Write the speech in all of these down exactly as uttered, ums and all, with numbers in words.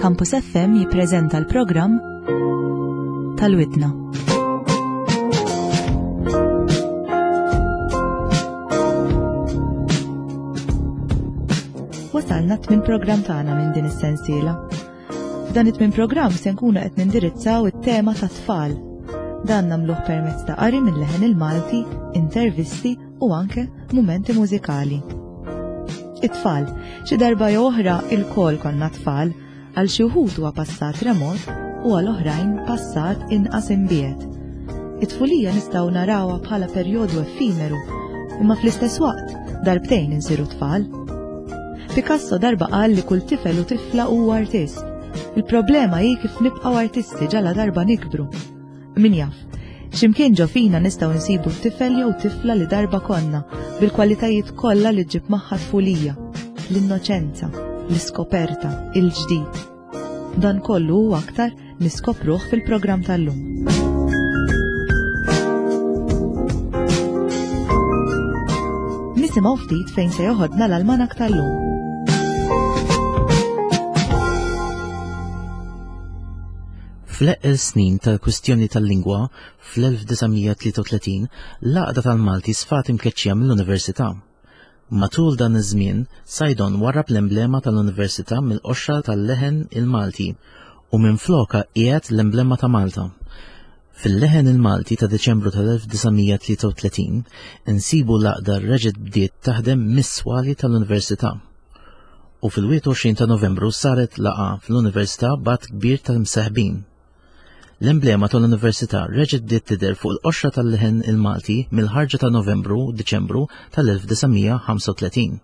Campus F M jippreżenta l-programm tal-Widna. Wasalna t-tmien programm tagħna minn din is-sensiela. F'dan it-tmien programm se nkunu qed nindirizzaw it-tema ta' tfal. Dan nagħmluh permezz ta' qari minn Leħen il-Malti, intervisti u anke mumenti mużikali. It-tfal, xi darba jew oħra ilkoll konna tfal, għal xi wħud huwa passat remot u għal oħrajn passat inqas imbiegħed. It-tfulija nistgħu narawha bħala perjodu effimeru, imma fl-istess waqt darbtejn insiru tfal. Picasso darba qal li kull tifel u tifla huwa artist. Il-problema hi kif nibqgħu artisti ġala darba nikbru. Min jaf, x'imkien ġo fina nistgħu nsibu tifel jew tifla li darba konna bil-kwalitajiet kollha li ġġib magħha tfulija, l-innoċenza, l-iskoperta, il-ġdid. Dan kollu u aktar niskopruh fil-programm tal-lum. Nisimgħu ftit fejn se joħodna l-almanak tal-lum. Fl-eqqel snin tal-kwistjoni tal-lingwa fl-elf disa' mija tlieta u tletin, l-Għaqda tal-Malti sfat imkeċċija mill-Università. Matul dan iż-żmien, Saydon warrab l-emblema tal-Università mill-qoxra tal-Leħen il-Malti u minflokha qiegħed l-emblema ta' Malta. Fil-Leħen il-Malti ta' Deċembru tal-elf disa' mija tlieta u tletin insibu l-għaqda reġgħet bdiet taħdem mis-swali tal-Università. U fil-wieħed u għoxrin ta' Novembru saret laqgħa fl-Università b'għadd kbir tal-mseħbin. L-emblema tal-Università reġgħet bdiet tidher fuq il-qoxra tal-Leħen il-Malti mill-ħarġa ta' Novembru Diċembru tal-elf disa' mija ħamsa u tletin.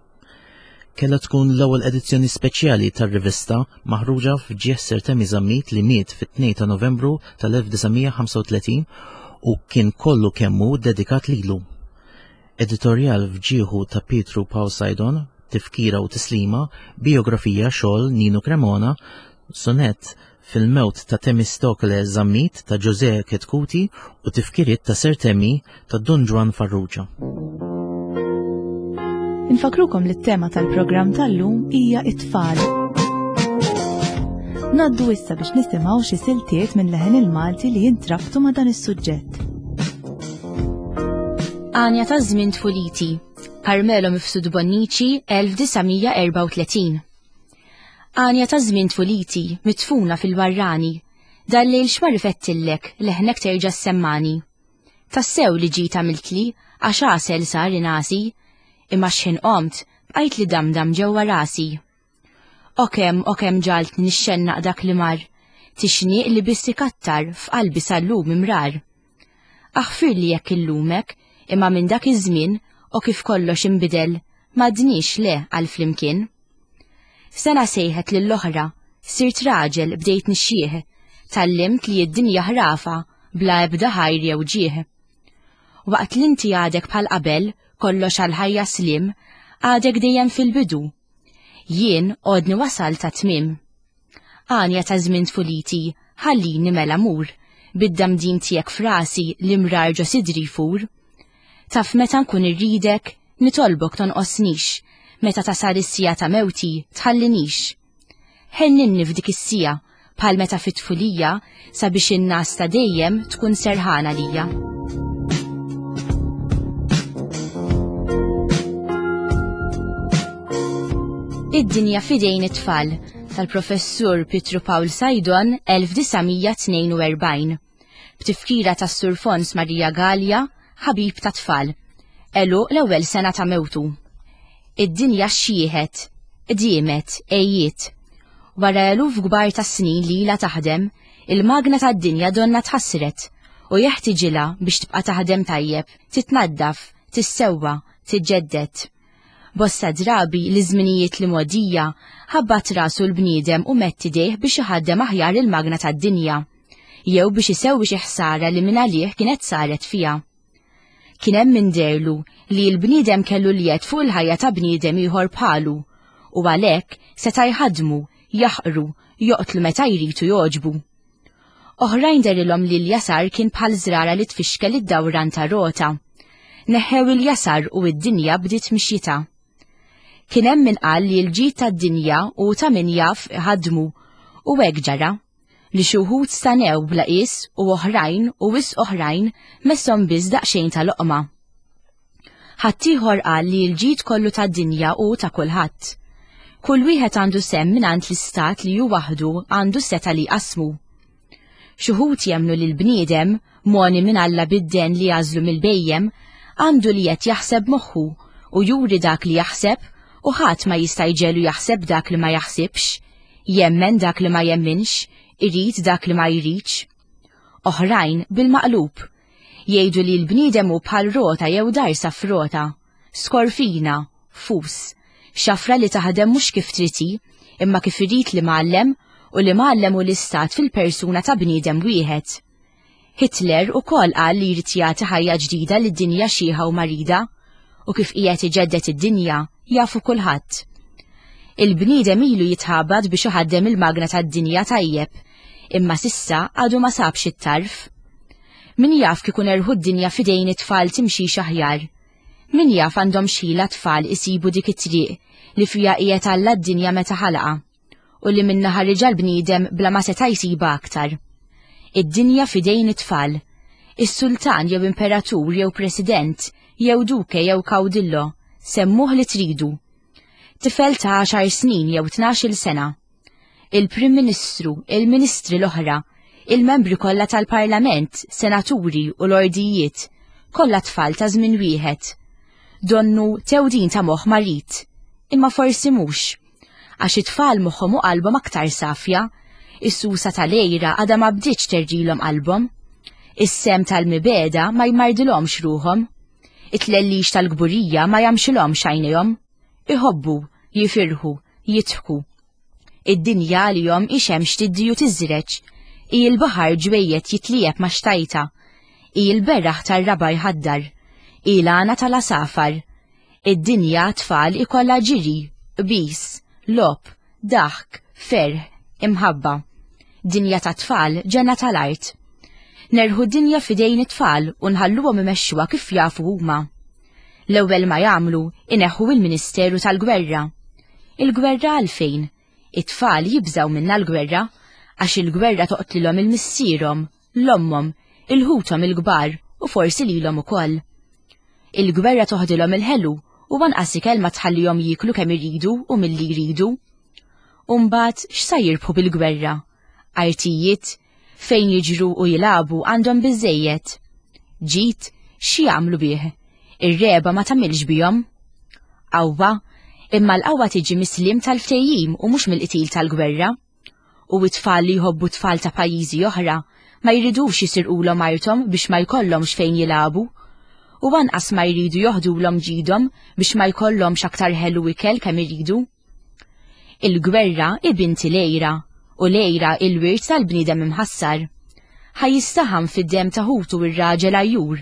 Kellha tkun l-ewwel edizzjoni speċjali tar-rivista maħruġa f'ġieħ Sir Temi Zammit li miet fit-tnejn ta' Novembru tal-elf disa' mija ħamsa u tletin u kien kollu kemmu dedikat lilu. Editorjal f'ġieħu ta' Pietru Pawl Saydon, tifkira u tislima, biografija xogħol Nino Cremona, sonett fil-mewt ta' Temistokle Zammit ta' Jose Chetcuti u tifkiriet ta' Sir Temi ta' Dun Ġwann Farrugia. Infakrukom li t-tema tal-programm tal-lum hija it-tfal. Ngħaddu issa biex nisimgħu xi siltiet minn Leħen il-Malti li jintrabtu ma' dan is-suġġett. Għanja ta' żmien tfuliti, Carmelo Mifsud Bonnici, elf disa' mija erbgħa u tletin. Għanja ta' żmien tfuliti, mitfuna fil-barrani, dal-lejl x'ma rifettillek, leħnek terġa' semmani. Tassew li ġita għamiltli, għax għasel sar inasi, imma x'ħin qomt, bqajt li damdam ġewwa rasi. O kemm, o kemm ġalt nixxennaq dak li mar, tixniq li biss ikattar f'qalbi sal-lum imrar. Aħfir li jekk illumek, imma minn dak iż-żmien, o kif kollox inbidel, m'għadniex le għal flimkien. Sena sejħet lill-oħra, sirt raġel bdejt nixxieħ, tgħallimt li d-dinja ħrafa bla ebda ħajr jew ġieħ. Waqt li inti għadek bħal qabel, kollox għal-ħajja slim, għadek dejjem fil-bidu. Jien għodni wasal ta' tmiem. Għanja ta' żmien tfuliti, ħallini mela mur, bid-damdim tiegħek frasi li mrar ġo sidri jfur. Taf meta nkun irridek, nitolbok tonqosnix, meta tasal is-sija ta' mewti tħallinix. Ħenninni f'dik is-sija bħal meta fit-tfulija sabiex in-nas ta' dejjem tkun serħana lija. Id-dinja fidejn it-tfal tal-professur Pietru Pawl Saydon elf disa' mija tnejn u erbgħin. B'tifkira tas-Sur Fons Maria Gallia, ħabib ta' tfal. Elu l-ewwel sena ta' mewtu. Id-dinja xjieħet, qdiemet, għejjiet. Wara eluf kbar ta' snin li ilha taħdem, il-magna tad-dinja donna tħassret u jeħtiġilha biex tibqa' taħdem tajjeb, titnaddaf, tissewwa, tiġġedded. Bosta drabi li żminijiet li mogħdija ħabbat rasu l-bniedem u medd idejh biex iħaddem aħjar il-magna tad-dinja, jew biex isewwi xi ħsara li minn għalih kienet saret fiha. Kien hemm min derlu li l-bniedem kellu l-jed fuq il-ħajja ta' bniedem ieħor bħalu u għalhekk seta' jħadmu, jaħqru, joqtlu meta jrid u jogħġbu. Oħrajn derilhom li l-jasar kien bħal żrara li tfixkel id-dawran ta' rota. Neħħew il-jasar u id-dinja bdiet mixjita. Kien hemm min qal li l-ġid tad-dinja u ta' min jaf ħadmu U hekk ġara, li xi wħud stanew bla qies u oħrajn u wisq oħrajn messhom biss daqsxejn ta' loqma. Ħaddieħor qal li l-ġid kollu tad-dinja hu ta' kulħadd. Kull wieħed għandu sehem mingħand l-istat li hu waħdu għandu setgħa li jqassmu. Xi wħud jemmnu li l-bniedem, mogħni minn Alla bid-den li għażlu mill-bhejjem, għandu li qed jaħseb moħħu u juri dak li jaħseb u ħadd ma jista' jġegħlu jaħseb dak li ma jaħsibx, jemmen dak li ma jemminx, irid dak li ma jridx. Oħrajn bil-maqlub, jgħidu li l-bniedem hu bħal rota jew darsa f'rota, skorfina, fus, xafra li taħdem mhux kif trid hi, imma kif irid l-imgħallem u l-imgħallem hu l-istat fil-persuna ta' bniedem wieħed. Hitler ukoll qal li jrid jagħti ħajja ġdida lid-dinja xiħa u marida, u kif qiegħed iġedded id-dinja jafu kulħadd. Il-bniedem ilu jitħabat biex iħaddem il-magna tad-dinja tajjeb, imma s'issa għadu ma sabx it-tarf. Min jaf kieku nerħu d-dinja f'idejn it-tfal timxix aħjar. Min jaf għandhom x'ħila t-tfal isibu dik it-triq li fiha qiegħed Alla d-dinja meta ħalaqha, u li minnha ħariġha l-bniedem bla ma seta' jsibha aktar. Id-dinja f'idejn it-tfal. Is-sultan jew imperatur jew president jew duke jew caudillo, semmuh li tridu. Tifel ta' għaxar snin jew tnax-il sena. Il-Prim Ministru, il-Ministri l-oħra, il-membri kollha tal-Parlament, senaturi u lordijiet, kollha tfal ta' żmien wieħed. Donnu tewdin ta' moħħ marid, imma forsi mhux. Għax it-tfal moħħhom u qalbhom aktar safja, is-susa tal-għira għadha ma bdietx terġilhom qalbhom. Is-semm tal-mibegħda ma jmardilhomx ruħhom. It-tlellix tal-kburija ma jamxilhomx għajnejhom. Iħobbu, jifirħu, jidħku. Id-dinja għalihom hi xemx tiddi u tiżreġ, hi l-baħar ġwejjed jitlieb ma' xtajta, hi l-beraħ tar-raba' jħaddar, hi l-għana tal-għasafar. Id-dinja tfal ikollha ġiri, qbis, logħob, daħk, ferħ, imħabba. Dinja ta' tfal, ġenna tal-art. Nerħu d-dinja f'idejn it-tfal u nħalluhom imexxuha kif jafu huma. L-ewwel ma jagħmlu ineħħu il-Ministeru tal-Gwerra. Il-gwerra għalfejn? It-tfal jibżgħu minnha l-gwerra, għax il-gwerra toqtlilhom il-missierhom, l-ommhom, il-ħuthom il-kbar u forsi lilhom ukoll. Il-gwerra toħdilhom il-ħelu u anqas ikel ma tħallihom jieklu kemm iridu u milli jridu. U mbagħad x'sa jirbħu bil-gwerra? Artijiet, fejn jiġru u jilagħbu għandhom biżejjed. Ġid, xi jagħmlu bih? Ir-reba ma tagħmilx bihom. Qawwa, imma l-qawwa tiġi mis-sliem tal-ftehim u mhux mill-qtil tal-gwerra. U it-tfal li jħobbu tfal ta' pajjiżi oħra ma jridux jisirqulhom arthom biex ma jkollhomx fejn jilagħbu. U anqas ma jridu joħdulhom ġidhom biex ma jkollhomx aktar ħelu ikel kemm iridu. Il-gwerra hi bint il-għira, u l-għira il-wirt tal-bniedem imħassar. Ħa jistaħam fid-demm ta' ħutu r-raġel għajjur,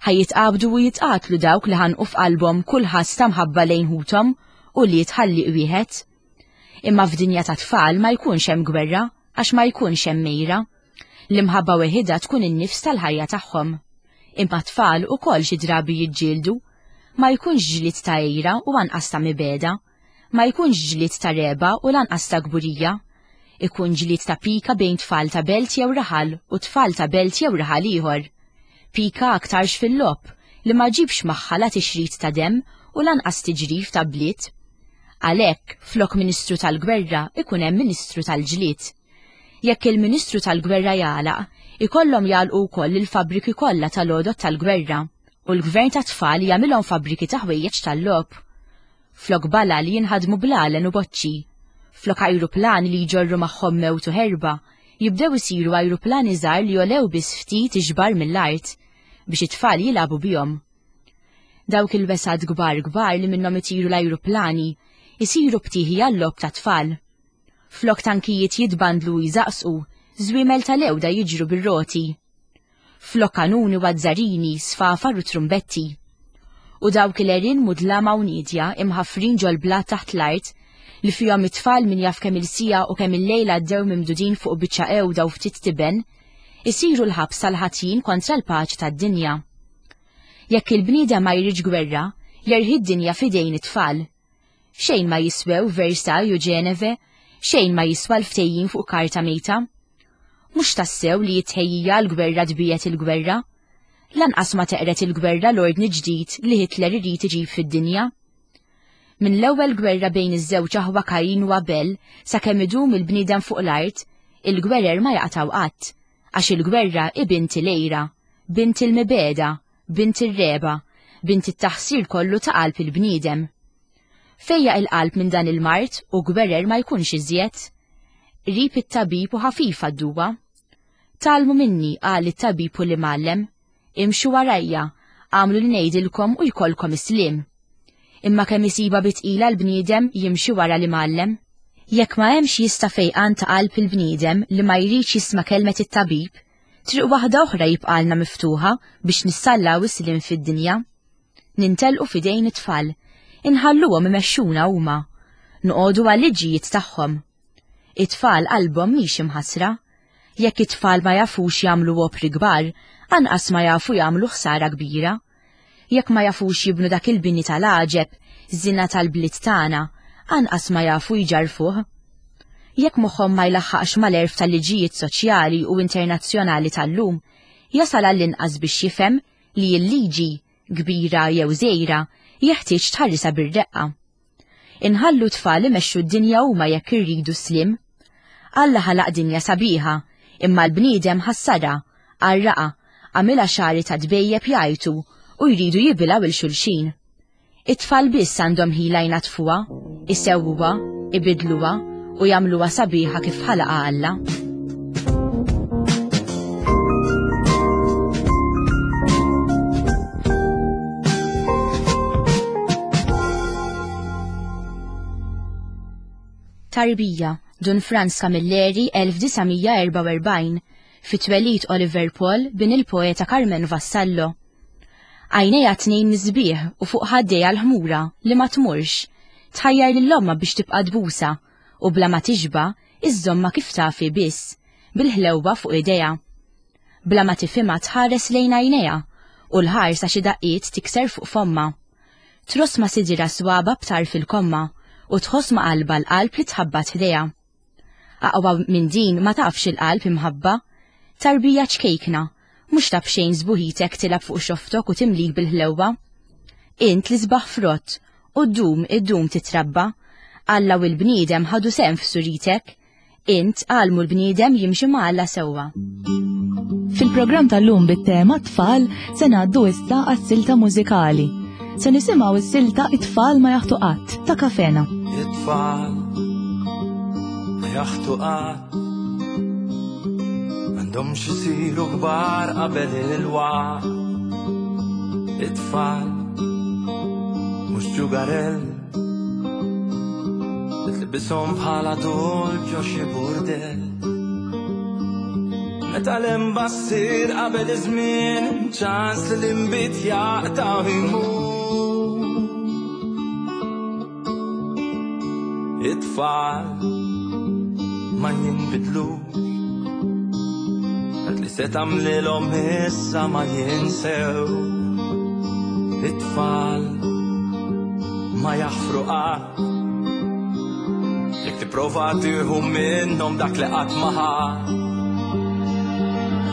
ħa jitqabdu u jitqatlu dawk li ħanqu f'qalbhom kull ħass ta' mħabba lejn ħuthom u li jitħalliq wieħed. Imma f'dinja ta' tfal ma jkunx hemm gwerra għax ma jkunx hemm mejra. L-imħabba weħidha tkun in-nifs tal-ħajja tagħhom. Imma tfal ukoll xi drabi jiġġieldu. Ma jkunx ġlied ta' għira u anqas ta' mibegħda. Ma jkunx ġlied ta' reba u lanqas ta' kburija. Ikun ġlied ta' pika bejn tfal ta' belt jew raħal u tfal ta' belt jew raħal ieħor. Pika aktarx fil-logħob li ma ġibx magħha la tixrid ta' demm u lanqas tiġrif ta' bliet. Għalhekk, flok Ministru tal-Gwerra ikun hemm Ministru tal-Ġlied. Jekk il-Ministru tal-Gwerra jagħlaq, ikollhom jagħlqu wkoll il-fabbriki kollha tal-għodod tal-gwerra u l-gvern tat-tfal jagħmilhom fabbriki ta' ħwejjeġ tal-logħob. Flok balal jinħadmu blalen u boċċi. Flok ajruplani li jġorru magħhom mewt u ħerba, jibdew isiru ajruplani żgħar li jolew biss ftit ixbar mill-art biex it-tfal jilagħbu bihom. Dawk il-wesgħat kbar kbar li minnhom itiru l-ajruplani isiru btieħi għal-logħob tat-tfal. Flok tankijiet jitbandlu u jżaqsqu, żwiemel tal-ewda jiġru bir-roti. Flok kanuni u azzarini, sfafar u trumbetti. U dawk il-għerien mudlama u niedja imħaffrin ġol-blat taħt l-art li fihom it-tfal min jaf kemm il-siegħa u kemm il-lejl għaddew mimdudin fuq biċċa ewda u ftit tiben, isiru l-ħabs tal-ħatjin kontra l-paċi tad-dinja. Jekk il-bniedem ma jridx gwerra, jerħi d-dinja f'idejn it-tfal. Xejn ma jiswew Versailles u Ġeneve, Xejn ma jiswa l-ftehim fuq karta mejta. Mhux tassew li jitħejjija l-gwerra tbiet il-gwerra. Lanqas ma teqret il-gwerra l-ordni ġdid li Hitler irid iġib fid-dinja. Minn l-ewwel gwerra bejn iż-żewġ aħwa Kain u Abel sakemm idum il-bniedem fuq l-art, il-gwerer ma jaqtaw qatt, għax il-gwerra hi bint il-għira, bint il-mibeda, bint ir-reba, bint it-taħsir kollu ta' qalb il-bniedem. Fejja il-qalb minn dan il-mart u gwerer ma jkunx iżjed. Qrib it-tabib u ħafifa d-duwa. Talmu minni, qal it-tabib u l-imgħallem, imxu warajja, għamlu li ngħidilkom u jkollkom is-sliem. Imma kemm isiba bitqila l-bniedem jimxi wara l-imgħallem. Jekk ma hemmx jista' fejqan ta' qalb il-bniedem li ma jridx jisma' kelmet it-tabib, triq waħda oħra jibqalna miftuħa biex nissallaw is-sliem fid-dinja. Nintelqu f'idejn it-tfal, inħalluhom imexxuna huma, noqogħdu għal-liġijiet tagħhom. It-tfal qalbhom mhix imħassra. Jekk it-tfal ma jafux jagħmlu opri kbar, anqas ma jafu jagħmlu ħsara kbira. Jekk ma jafux jibnu dak il-bini tal-għaġeb, żina tal-bliet tagħna, anqas ma jafu jġarfuh. Jekk moħħhom ma jlaħħaqx mal-erf tal-liġijiet soċjali u internazzjonali tal-lum, jasal għall-inqas biex jifhem li l-liġi, kbira jew żgħira, jeħtieġ tħarrisha bir-reqqa. Inħallu tfal imexxu d-dinja huma jekk irridu slim. Alla ħalaq dinja sabiħa, imma l-bniedem ħassarha, għarraqha, għamilha xagħri ta' tbejjeb jgħajtu u jridu jibilgħu il xulxin. It-tfal biss għandhom ħila jnatfuha, isewwuha, ibidluha u jagħmluha sabiħa kif ħalaqha Alla. Tarbija, Dun Franz Camilleri, elf disa' mija erbgħa u erbgħin, fit-twelid Oliver Paul bin il-poeta Carmen Vassallo. Għajnejha tnejn nisbieħ u fuq ħaddejha l-ħmura li ma tmurx, tħajjar lil ommha biex tibqa' tbusa u bla ma tixba' iżżomma kif tafi biss, bil-ħlewwa fuq idejha. Bla ma tifhimha tħares lejn għajnejha u l-ħarsa xi daqqiet tikser fuq fomma. Tross ma sidira swaba b'tarf il-komma u tħoss ma qalba l-qalb li tħabbat ħdejha. Aqwa minn din ma tafx il-qalb imħabba, tarbija ċkejkna, mhux taf xejn sbuħitek tilab fuq xoftok u timlik bil-ħlewwa. Int li sbaħ frott u ddum iddum titrabba, Alla u l-bniedem ħadu sehem f'suritek, int għalmu l-bniedem jimxi ma' Alla sewwa. Fil-programm tal-lum bit-tema tfal se ngħaddu issa għas-silta mużikali. Se nisimgħu s-silta It-tfal ma jaħtu qatt ta' Kafena. It-tfal ma jaħtu qatt, m'għandhomx isiru kbar qabel il-waqt. It-tfal mhux ġugarell li tlibishom bħala adult ġo xi burdell. Meta l-imba ssir qabel iż-żmien, ċans li l-inbid jaqta' u jmur. It-tfal ma jinbidlux, dak li se tagħmlilhom issa ma jinsew. It-tfal ma jaħfru qatt, jekk tipprova tieħu minnhom dak li qatt ma ħadd.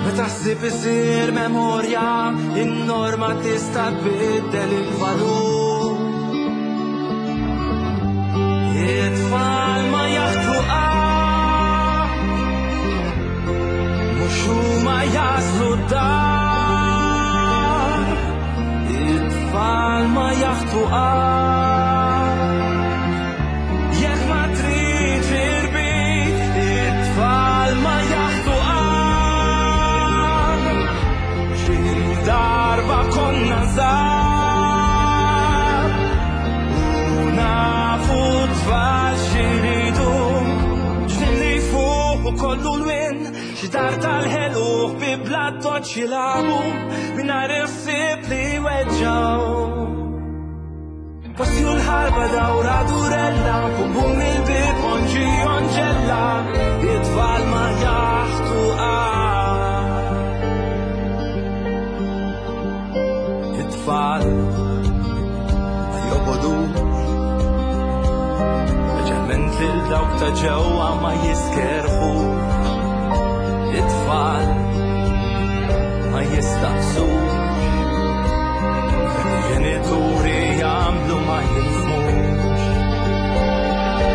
Meta ħsieb isir memorja, in-norma tista' tbiddel il-valur. It-tfal ma jaħtu qatt, mhux huma jaslu d-dar. It-tfal ma jaħtu qatt, jekk ma tridx irbit. It-tfal ma jaħtu qatt, xi darba konna żgħar u nafu tfal x'iridu, x'li fuq u kollu l-win, xi dar tal-ħelu ħbieb bla toċ jilagħbu mingħajr ħsieb li weġġgħu. Passi u l-ħarba dawra durella, bum bum il-bib onġi onġella, it-tfal ma jaħtu qatt. It-tfal ma jobogħdux, speċjalment lil Dawk ta' ġewwa ma jiskerħu. It-tfal ma jistaqsux. Il-ġenituri jagħmlu ma jifhmux.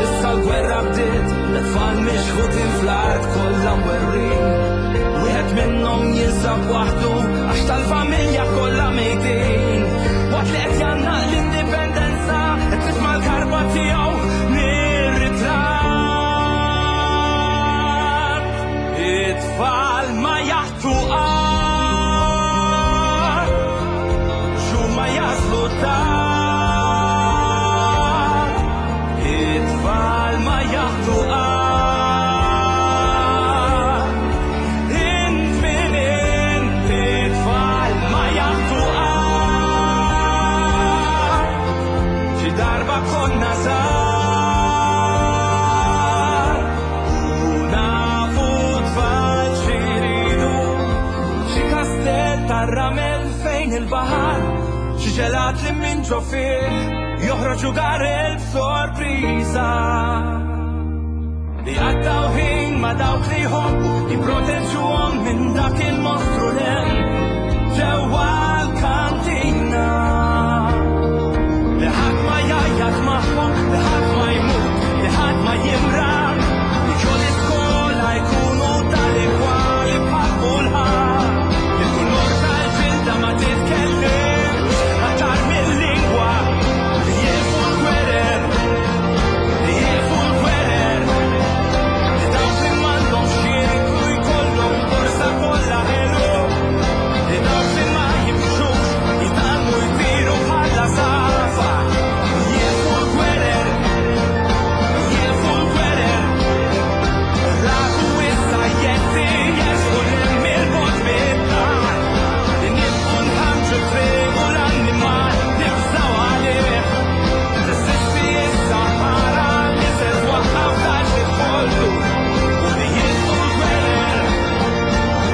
Issa l-gwerra bdiet, l-tfal mixħutin fl-art kollha mwerwrin. Wieħed minnhom jinsab waħdu għax tal-familja kollha mejtin. Waqt li qed jgħannaq l-indipendenza, qed tisma' l-karba tiegħu mir-ritratt. It-tfal ma jaħtu qatt, x'huma jaslu tard. It-tfal ma jaħtu qatt. Int min int, it-tfal ma jaħtu qatt. Xi darba konna żgħar u nafu tfal x'iridu. Xi kastell tar-ramel fejn il-baħar, xi ġelat li minn ġo fih joħroġ garel b'sorpriża. Li għaddaw ħin ma' dawk li jħobbu, jipproteġuhom minn dak il-mostru l-hemm ġewwa l-kantina. Li ħadd ma jgħajjat magħhom, li ħadd ma jmut, li ħadd ma jimrar, li ġo l-iskola jkunu tal-igwali bħal kulħadd. Il-kulur tal-ġilda ma titkellimx aktar mill-lingwa. Li jieqfu l-gwerer, li jieqfu l-gwerer, li dawk li m'għandhomx x'jieklu jkollhom borsa kollha ħelu, li dawk li ma jimxux jitgħallmu jtiru bħala għasafar. Li jieqfu l-gwerer, li jieqfu l-gwerer, raku issa jetti jersqu 'l il-bogħod mid-dar. Li nibqgħu nħarġu t-triq u l-annimal nibżgħu għalih. Teżisti issa ħara li se twaqqaf dak li kollu. U li jieqfu l-gwerer,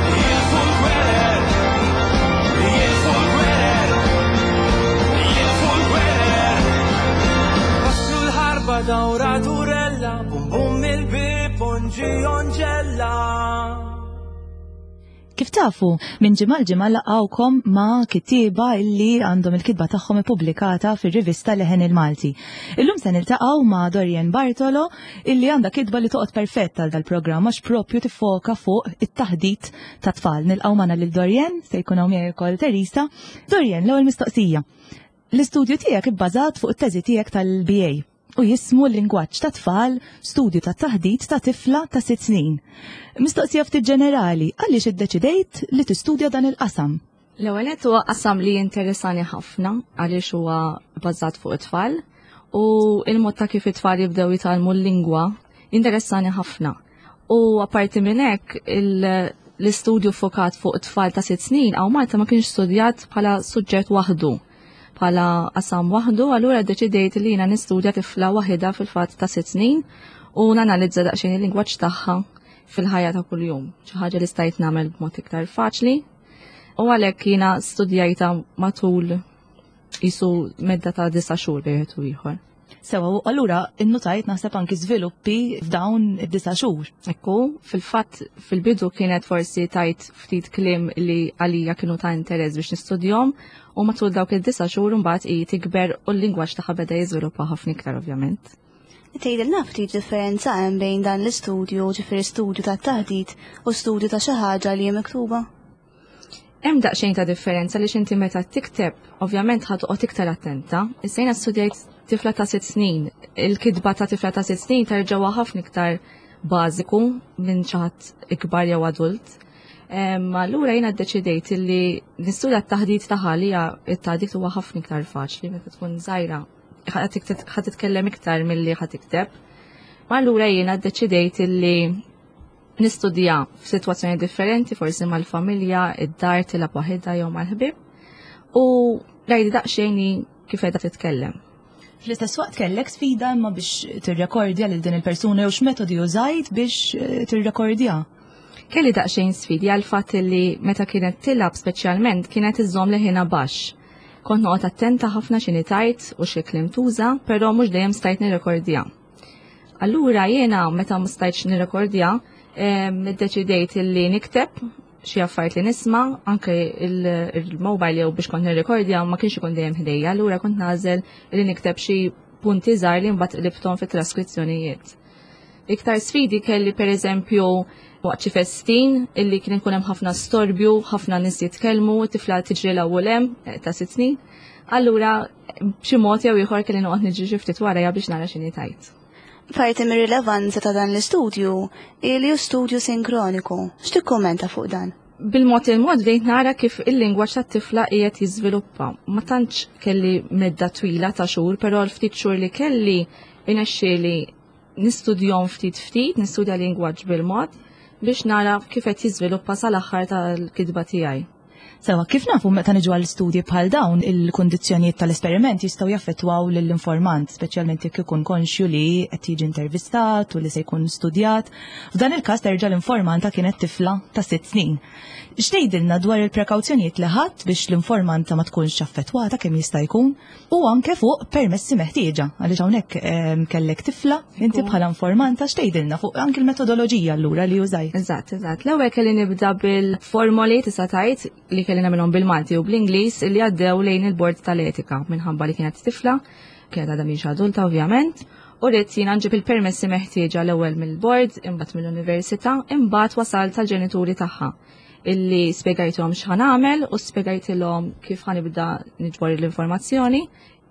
li jieqfu l-gwerer, li jieqfu l-gwerer, li jieqfu l-gwerer. Waslu l-ħarba dawra durella, bum bum il-bib onġi onġella. Kif tafu, minn ġimgħa l-ġimgħa laqgħukom ma' kittieba illi għandhom il-kitba tagħhom ippubblikata fir-rivista Leħen il-Malti. Illum se niltaqgħu ma' Dorian Bartolo illi għandha kitba li toqgħod perfett għal dal-programm għax propju tiffoka fuq it-taħdit ta' tfal. Nilqgħu magħna lil Dorian, se jkun hawn miegħi wkoll Teresa. Dorian, l-ewwel mistoqsija. L-istudju tiegħek ibbażat fuq it-teżi tiegħek tal-B A u jismu l-lingwaġġ ta' tfal, studju ta' taħdit ta' tifla ta' sitt snin. Mistoqsija ftit ġenerali, għaliex iddeċidejt li tistudja dan il-qasam? L-ewwel nett huwa qasam li jinteressani ħafna għaliex huwa bbażat fuq it-tfal u il-mod ta' kif it-tfal jibdew jitgħallmu l-lingwa jinteressani ħafna. U apparti minn hekk il- l-istudju fokat fuq it-tfal ta' sitt snin hawn Malta ma kienx studjat bħala suġġett waħdu, bħala qasam waħdu, allura ddeċidejt li jiena nistudja tifla waħda fil-fatt ta' sitt snin u nanalizza daqsxejn il-lingwaġġ tagħha fil-ħajja ta' kuljum, xi ħaġa li stajt nagħmel b'mod iktar faċli. U għalhekk jiena studjajta matul jisu medda ta' disa' xhur bejn wieħed u ieħor. Sewa, u allura innutajt naħseb anki żviluppi f'dawn id-disa' xhur. Ekku, fil-fatt fil-bidu kienet forsi tajt ftit kliem li għalija kienu ta' interess biex nistudjom u matul dawk id-disa' xhur imbagħad hi tikber u l-lingwaġġ tagħha beda jiżviluppa ħafna iktar, ovvjament. Tgħidilna ftit differenza hemm bejn dan l-istudju, ġifieri studju ta' taħdit u studju ta' xi ħaġa li hija miktuba? Hemm daqsxejn ta' differenza li x'inti meta tikteb, ovvjament ħa toqgħod iktar attenta. Issa jiena studjajt tifla ta' sitt snin. Il-kitba ta' tifla ta' sitt snin terġgħu ħafna iktar bażiku minn xi ħadd ikbar jew adult. Em, Allura jiena ddeċidejt li nistudja t-taħdit tagħha li hija t-taħdit huwa ħafna iktar faċli meta tkun żgħira. Ħa titkellem iktar milli ħa tikteb. Ma allura jiena ddeċidejt li nistudja f'sitwazzjoni differenti, forsi mal-familja, id-dar, tilgħab waħedha jew mal-ħbieb. U rajdi daqsxejn kif qiegħda titkellem. Fl-istess waqt kellek sfida imma biex tirrekordja lil din il-persuna jew x'metodi użajt biex eh, tirrekordja? Kelli daqsxejn sfidi għal fatt li meta kienet tilgħab speċjalment kienet iżżomm leħinha baxx. Kont noqgħod attenta ħafna x'inhi tgħid u xi kliem tuża, però mhux dejjem stajt nirrekordja. Allura jiena meta ma stajtx nirrekordja, iddeċidejt li nikteb xi affarijiet li nisma', anke il-mobile jew biex kont nirrekordja ma kienx ikun dejjem ħdejja, allura kont nagħżel li nikteb xi punti żgħar li mbagħad qlibthom fit-traskrizzjonijiet. Iktar sfidi kelli, pereżempju, waqt xi festin illi kien ikun hemm ħafna storbju, ħafna nies jitkellmu, tifla tiġri l-ewwel hemm eh, ta' sitt snin. Allura b'xi mod jew ieħor kelli noqgħod niġri xi ftit warajha biex nara x'inhi tgħid. Parti mir-rilevanza ta' dan l-istudju li hu studju sinkroniku. X'tikkummenta fuq dan? Bil-mod il-mod bdejt nara kif il-lingwaġġ tat-tifla qiegħed jiżviluppa. Ma tantx kelli medda twila ta' xhur, però l-ftit xhur li kelli irnexxieli nistudjahom ftit ftit, nistudja lingwaġġ bil-mod biex nara kif qed jiżviluppa sal-aħħar tal-kitba tiegħi. Sewa, kif nafu, meta niġu għal studji bħal dawn, il-kundizzjonijiet tal-esperiment jistgħu jaffettwaw lill-informant, speċjalment jekk ikun konxju li qed jiġi intervistat u li se jkun studjat. F'dan il-każ terġa' l-informanta kienet tifla ta' sitt snin. X'tgħidilna dwar il-prekawzjonijiet li ħadd biex l-informanta ma tkunx affettwata kemm jista' jkun u anke fuq permessi meħtieġa, għaliex hawnhekk ehm, kellek tifla inti bħala informanta? X'tgħidilna fuq anke l-metodoloġija allura li użajt? Eżatt, eżatt. L-ewwel kelli nibda bil-formoli, tista' tgħid, li kelli nagħmilhom bil-Malti u bl-Ingliż li għaddew lejn il-bord tal-etika minħabba li kienet tifla, kienet għadha mhix adulta ovvjament, u ridt jiena nġib il-permessi meħtieġa l-ewwel mill-bord, imbagħad mill-università, imbagħad wasalt tal-ġenituri tagħha illi spjegajthom x'ħa nagħmel u spjegajtilhom kif ħa nibda niġbor l-informazzjoni,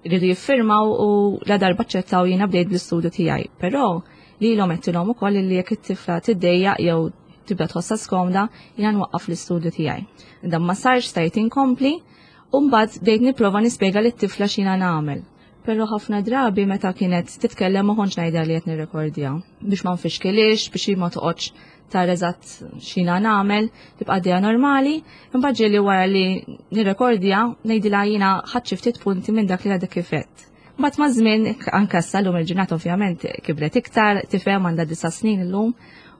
rridu jiffirmaw u la darba ċettaw jiena bdejt bl-istudju tiegħi. Però lilhom għedtilhom ukoll li jekk it-tifla tiddejjaq jew tibda tħossha skomda, jiena nwaqqaf l-istudju tiegħi. Dan ma sarx, stajt inkompli, u mbagħad bdejt nipprova nispjega lit-tifla x'jiena nagħmel. Però ħafna drabi meta kienet titkellem ma kontx ngħidha li qed nirrekordja biex ma nfixkilix, biex ma toqgħodx tara eżatt x'jiena nagħmel, tibqa' għaddejja normali, imbagħad ġieli wara li nirrekordja ngħidilha jiena ħadt xi ftit punti minn dak li għadek kif għedt. Mbagħad maż-żmien, anke issa llum il-ġurnata ovvjament kibret iktar, tifhem, għandha disa' snin illum,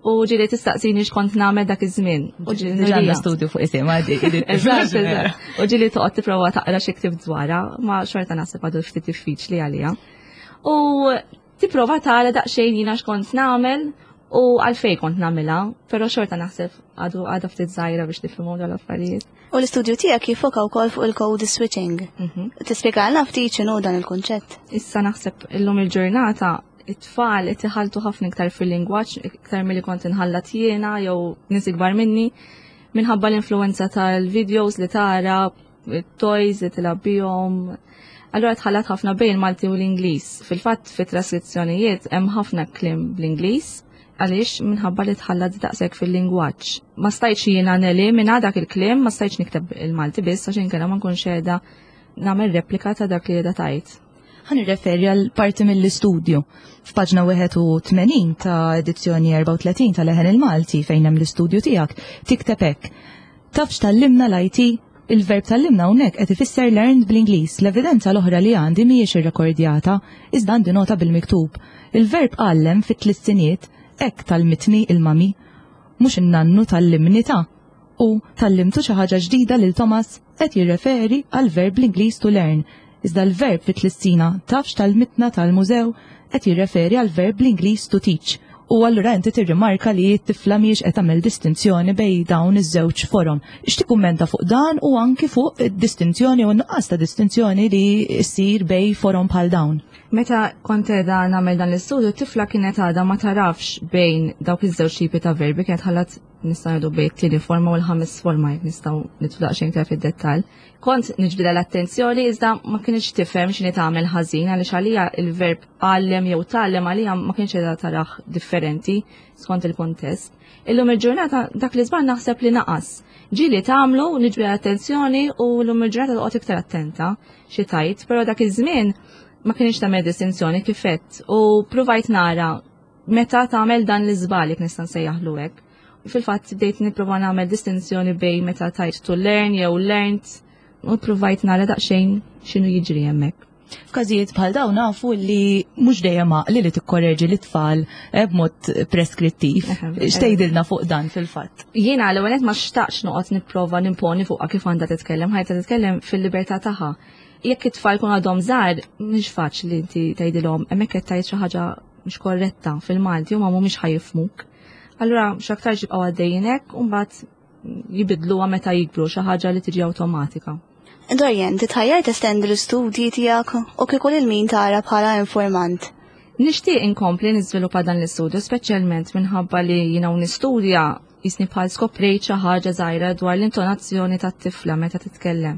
u ġieli tistaqsini x'kont nagħmel dak iż-żmien. U ġieli għandha studju fuq isimha. Eżatt, eżatt. U ġieli toqgħod tipprova taqra xi ktibt dwarha, ma xorta naħseb għadu ftit diffiċli għaliha. U tipprova tara daqsxejn jiena x'kont nagħmel u għalfejn kont nagħmilha, però xorta naħseb għadu għadha ftit żgħira biex tifhmu dawn l-affarijiet. U l-istudju tiegħek jiffoka wkoll fuq il-code switching. Mhm. Tispjegalna ftit x'inhu dan il-kunċett? Issa naħseb illum il-ġurnata it-tfal qed iħalltu ħafna iktar fil-lingwaġġ iktar milli kont inħallat jiena jew nies ikbar minni, minħabba l-influenza tal-videos li tara, toys li tilgħab bihom. Allura tħallat ħafna bejn il-Malti u l-Ingliż. Fil-fatt fit-traskrizzjonijiet hemm ħafna kliem bl-Ingliż għaliex minħabba li tħallat daqshekk fil-lingwaġġ. Ma stajtx jiena nelimina dak il-kliem, ma stajtx nikteb il-Malti biss għax inkella ma nkunx qiegħda nagħmel replika ta' dak li qiegħda tgħid. Ħa nirreferi għal parti mill-istudju. F'paġna wieħed u tmenin ta' edizzjoni erbgħa u tletin ta' Leħen il-Malti, fejn hemm l-istudju tiegħek, tikteb hekk: "Taf x'tgħallimna l-I T? Il-verb tgħallimna hawnhekk qed ifisser learned bl-Ingliż. L-evidenza l-oħra li għandi mhijiex irrekordjata, iżda għandi nota bil-miktub. Il-verb għallem fit-tlissiniet, hekk tgħallmitni il-mami, mhux in-nannu tgħallimni ta'. U tgħallimtu xi ħaġa ġdida lil Thomas qed jirreferi għal verb bl-Ingliż to learn. Iżda l-verb fit-tlissina taf x'tgħallmitna tal-mużew qed jirreferi għal verb bl-Ingliż to teach." U allura inti tirrimarka li t-tifla mhijiex qed tagħmel distinzjoni bejn dawn iż-żewġ forom. X'tikkummenta fuq dan u anki fuq id-distinzjoni u nuqqas ta' distinzjoni li ssir bejn forom bħal dawn? Meta kont qiegħda nagħmel dan l-istudju, t-tifla kienet għadha ma tarafx bejn dawk iż-żewġ tipi ta' verbi, kienet ħallat, nistgħu ngħidu, bejn it-tieni forma u l-ħames forma, jekk nistgħu nidħlu daqsxejn iktar fid-dettall. Kont niġbidha l-attenzjoni iżda ma kienx tifhem x'inhi tagħmel ħażin, għaliex għalija il-verb għallem jew tgħallem għalija ma kienx qiegħda tarah differenti skont il-kuntest. Illum il-ġurnata dak li żball naħseb li naqas. Ġieli tagħmlu, niġbidha l-attenzjoni u llum il-ġurnata toqgħod iktar attenta xi tgħid, però dak iż-żmien ma kienx tagħmel distinzjoni kif għedt u provajt nara meta tagħmel dan l-iżball, jekk nista' nsejjaħlu hekk. Fil-fatt bdejt nipprova nagħmel distinzjoni bejn meta tgħid to learn jew learned u provajt nara daqsxejn x'inhu jiġri hemmhekk. F'każijiet bħal dawn nafu li mhux dejjem għaqli li tikkorreġi l-tfal eh, b'mod preskrittiv. X'tgħidilna fuq dan fil-fatt? Jiena l-ewwel ma xtaqx noqgħod nipprova nimponi fuqha kif għandha titkellem, ħajta titkellem fil-libertà tagħha. Jekk it-tfal kun għadhom żgħar, mhix faċli inti tgħidilhom hemmhekk qed tgħid xi ħaġa mhux korretta fil-Malti huma mhumiex ħa jifhmuk. Allura x'aktar jibqgħu għaddejjin hekk u mbagħad jibidluha meta jikbru, xi ħaġa li tiġi awtomatika. Dorian, titħajjar testendi l-istudji tiegħek u kieku lil min tara bħala informant? Nixtieq inkompli niżviluppa dan l-istudju, speċjalment minħabba li jiena u nistudja jisni bħal skoprejt xi ħaġa żgħira dwar l-intonazzjoni tat-tifla meta titkellem.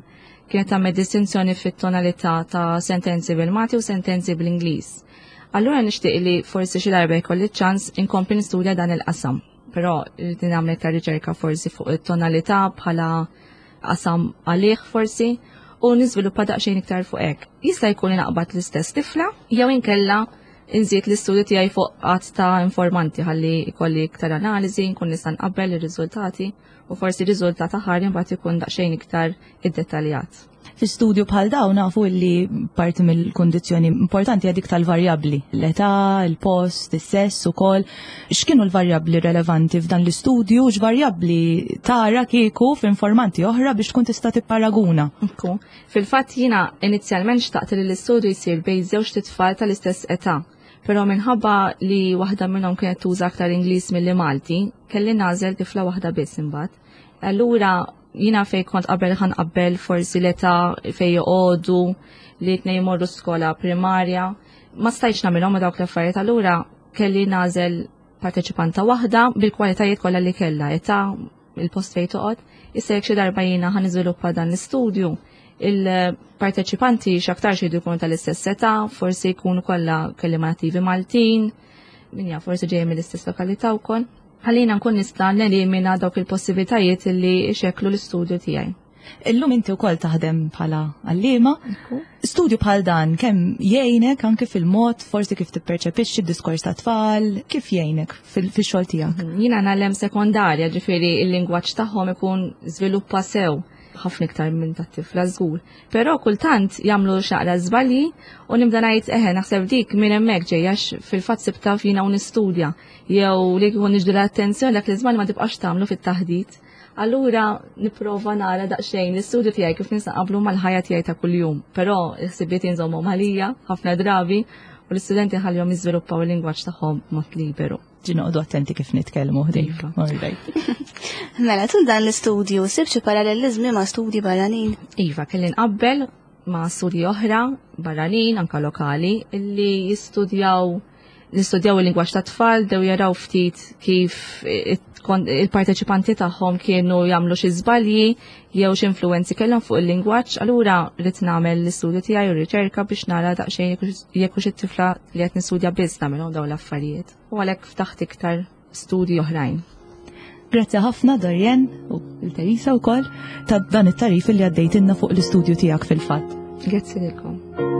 Kienet tagħmel distinzjoni fit-tonalità ta' sentenzi bil-Malti u sentenzi bl-Ingliż. Allura nixtieq li forsi xi darba jkolli ċans inkompli nistudja dan il-qasam. Però irrid nagħmel iktar riċerka forsi fuq it-tonalità bħala qasam għalih forsi u niżviluppa daqsxejn iktar fuq hekk. Jista' jkun naqbad l-istess tifla jew inkella nżid l-istudju tiegħi fuq għadd ta' informanti ħalli jkolli iktar analiżi, nkun nista' nqabbel ir-riżultati u forsi r-riżultat aħħar imbagħad ikun daqsxejn iktar iddettaljat. Fi studju bħal dawn nafu li parti mill-kondizzjoni importanti hija dik tal-varjabbli, l-età, il-post, is-sess ukoll. X'kienu l-varjabbli relevanti f'dan l-istudju, x'varjabbli tara kieku f'informanti oħra biex tkun tista' tipparaguna? Ekku. Fil-fatt jiena inizjalment xtaqt li l-istudju jsir bejn żewġ tfal tal-istess età. Però minħabba li waħda minnhom kienet tuża aktar Ingliż milli Malti, kelli nagħżel tifla waħda biss imbagħad. Allura jiena fej kont qabel ħa nqabbel forsi l-età fej joqogħdu li tnejn jmorru skola primarja, ma stajtx nagħmilhom ma dawk l-affarijiet, allura kelli nagħżel parteċipanta waħda bil-kwalitajiet kollha li kellha, età, il-post fejn toqgħod. Issa jekk xi darba jiena ħa niżviluppa dan l-istudju, il-parteċipanti x'aktarx jridu jkunu tal-istess età, forsi jkunu kollha kelliema nattivi Maltin, min jaf forsi ġejjin mill-istess lokalità wkoll. Ħallina nkun nista' nelimina dawk il-possibilitajiet li xeklu l-istudju tiegħi. Illum inti wkoll taħdem bħala għalliema. Studju bħal dan kemm jgħinek anke fil-mod forsi kif tipperċepixxi d-diskors ta' tfal, kif jgħinek fil-xogħol tiegħek? Jiena ngħallem sekondarja, ġifieri il-lingwaġġ tagħhom ikun żviluppa sew ħafna iktar minn tat-tifla żgur. Però kultant jagħmlu xaqra żbalji u nibda ngħid eħe naħseb dik minn hemmhekk ġejja għax fil-fatt sibta fina u nistudja jew li jkun niġdu l-attenzjoni dak l-iżball ma tibqax tagħmlu fit-taħdit. Allura nipprova nara daqsxejn l-istudju tiegħi kif nista' nqabblu mal-ħajja tiegħi ta' kuljum, però l-ħsibiet jinżommhom għalija ħafna drabi u l-istudenti ħallihom jiżviluppaw il-lingwaġġ tagħhom mod liberu. Ġi noqogħdu attenti kif nitkellmu ħdejk. Iva. All right. Mela, tul dan l-istudju sib xi paralleliżmi ma' studji barranin? Iva, kelli nqabbel ma' studji oħra barranin, anka lokali, illi jistudjaw nistudjaw il-lingwaġġ ta' tfal, dew jaraw ftit kif il-parteċipanti tagħhom kienu jagħmlu xi żbalji jew xi influwenzi kellhom fuq il-lingwaġġ, allura rrid nagħmel l-istudju tiegħi u r-riċerka biex nara daqsxejn jekk hux it-tifla li qed nistudja biss nagħmilhom dawn l-affarijiet. U għalhekk ftaħt iktar studji oħrajn. Grazzi ħafna Dorian u l-Teresa wkoll ta' dan it-tarif li għaddejtilna fuq l-istudju tiegħek fil-fatt. Grazzi lilkom.